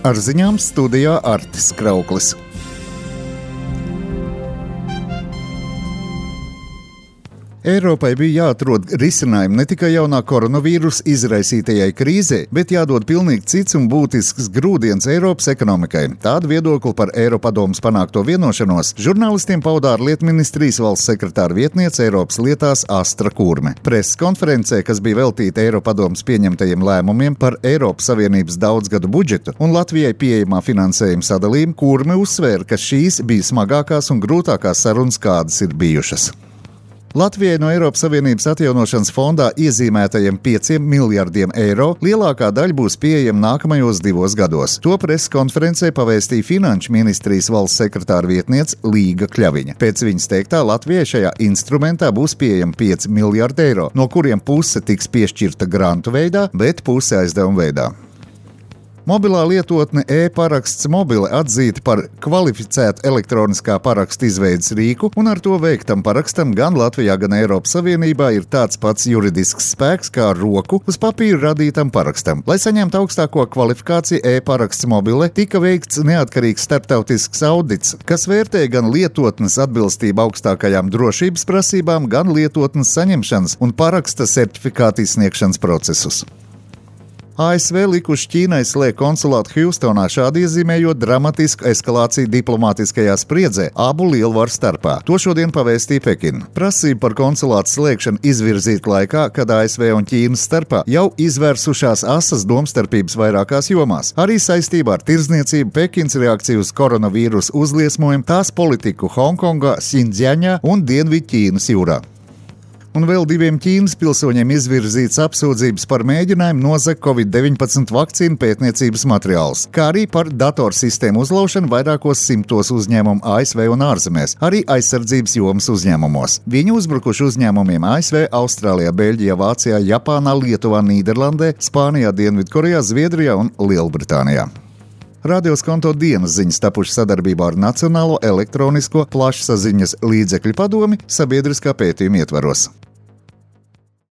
Ar ziņām studijā Artis Krauklis. Eiropai bija jāatrod risinājumi ne tikai jaunā koronavīrusa izraisītajai krīzē, bet jādod pilnīgi cits un būtisks grūdienis Eiropas ekonomikai. Tādu viedokli par Eiropadomes panākto vienošanos žurnālistiem pauda ārlietu ministrijas valsts sekretāra vietniece Eiropas lietās Astra Kurme. Preses konferencē, kas bija veltīta Eiropadomes pieņemtajiem lēmumiem par Eiropas Savienības daudzgadu budžetu un Latvijai pieejamā finansējuma sadalījumu, Kurme uzsvēra, ka šīs bija smagākās un grūtākās sarunas, kādas ir bijušas. Latvijai no Eiropas Savienības atjaunošanas fondā iezīmētajiem 5 miljardiem eiro lielākā daļa būs pieejama nākamajos 2 gados. To preses konferencē pavēstīja Finanšu ministrijas valsts sekretāra vietniece Līga Kļaviņa. Pēc viņas teiktā, Latvijai šajā instrumentā būs pieejama 5 miljardi eiro, no kuriem puse tiks piešķirta grantu veidā, bet puse aizdevuma veidā. Mobilā lietotne e-paraksts mobile atzīta par kvalificētu elektroniskā paraksta izveides rīku, un ar to veiktam parakstam gan Latvijā, gan Eiropas Savienībā ir tāds pats juridisks spēks kā roku uz papīra radītam parakstam. Lai saņemtu augstāko kvalifikāciju, e-paraksts mobile tika veikts neatkarīgs starptautisks audits, kas vērtē gan lietotnes atbilstību augstākajām drošības prasībām, gan lietotnes saņemšanas un paraksta certifikāta izsniegšanas procesus. ASV likuši Ķīnai slēgt konsulātu Hjūstonā, šādi iezīmējot dramatisku eskalāciju diplomātiskajā spriedzē abu lielvaru starpā. To šodien pavēstīja Pekina. Prasība par konsulātu slēgšanu izvirzīta laikā, kad ASV un Ķīnas starpā jau izvērsušās asas domstarpības vairākās jomās. Arī saistībā ar tirdzniecību, Pekinas reakciju uz koronavīrusu uzliesmojumu, tās politiku Hongkongā, Sindziaņā un Dienvidķīnas jūrā. Un vēl 2 Ķīnas pilsoņiem izvirzīts apsūdzības par mēģinājumu nozagt Covid-19 vakcīnu pētniecības materiālus, kā arī par datorsistēmu uzlaušanu vairākos 100 uzņēmumu ASV un ārzemēs, arī aizsardzības jomas uzņēmumos. Viņi uzbrukuši uzņēmumiem ASV, Austrālijā, Beļģijā, Vācijā, Japānā, Lietuvā, Nīderlandē, Spānijā, Dienvidkorejā, Zviedrijā un Lielbritānijā. Radio Skonto dienas ziņas tapušas sadarbībā ar Nacionālo elektronisko plašsaziņas līdzekļu padomi sabiedriskā pētījuma ietvaros.